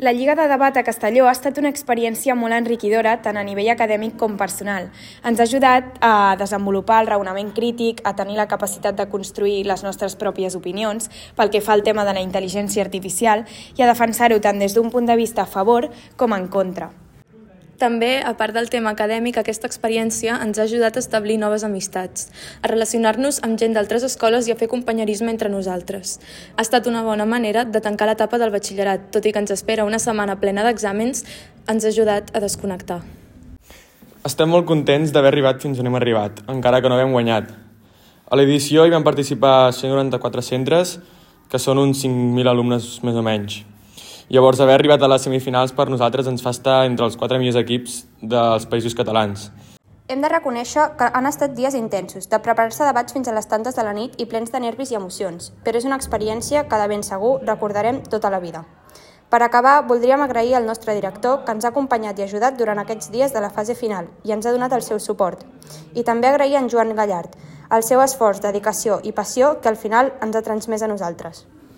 La Lliga de Debat a Castelló ha estat una experiència molt enriquidora tant a nivell acadèmic com personal. Ens ha ajudat a desenvolupar el raonament crític, a tenir la capacitat de construir les nostres pròpies opinions pel que fa al tema de la intel·ligència artificial i a defensar-ho tant des d'un punt de vista a favor com en contra. També, a part del tema acadèmic, aquesta experiència ens ha ajudat a establir noves amistats, a relacionar-nos amb gent d'altres escoles i a fer companyerisme entre nosaltres. Ha estat una bona manera de tancar l'etapa del batxillerat, tot i que ens espera una setmana plena d'exàmens, ens ha ajudat a desconnectar. Estem molt contents d'haver arribat fins on hem arribat, encara que no haguem guanyat. A l'edició hi van participar 194 centres, que són uns 5.000 alumnes més o menys. Llavors, haver arribat a les semifinals per nosaltres ens fa estar entre els 4 millors equips dels països catalans. Hem de reconèixer que han estat dies intensos, de preparar-se debats fins a les tantes de la nit i plens de nervis i emocions, però és una experiència que de ben segur recordarem tota la vida. Per acabar, voldríem agrair al nostre director que ens ha acompanyat i ajudat durant aquests dies de la fase final i ens ha donat el seu suport. I també agrair a en Joan Gallard, el seu esforç, dedicació i passió que al final ens ha transmès a nosaltres.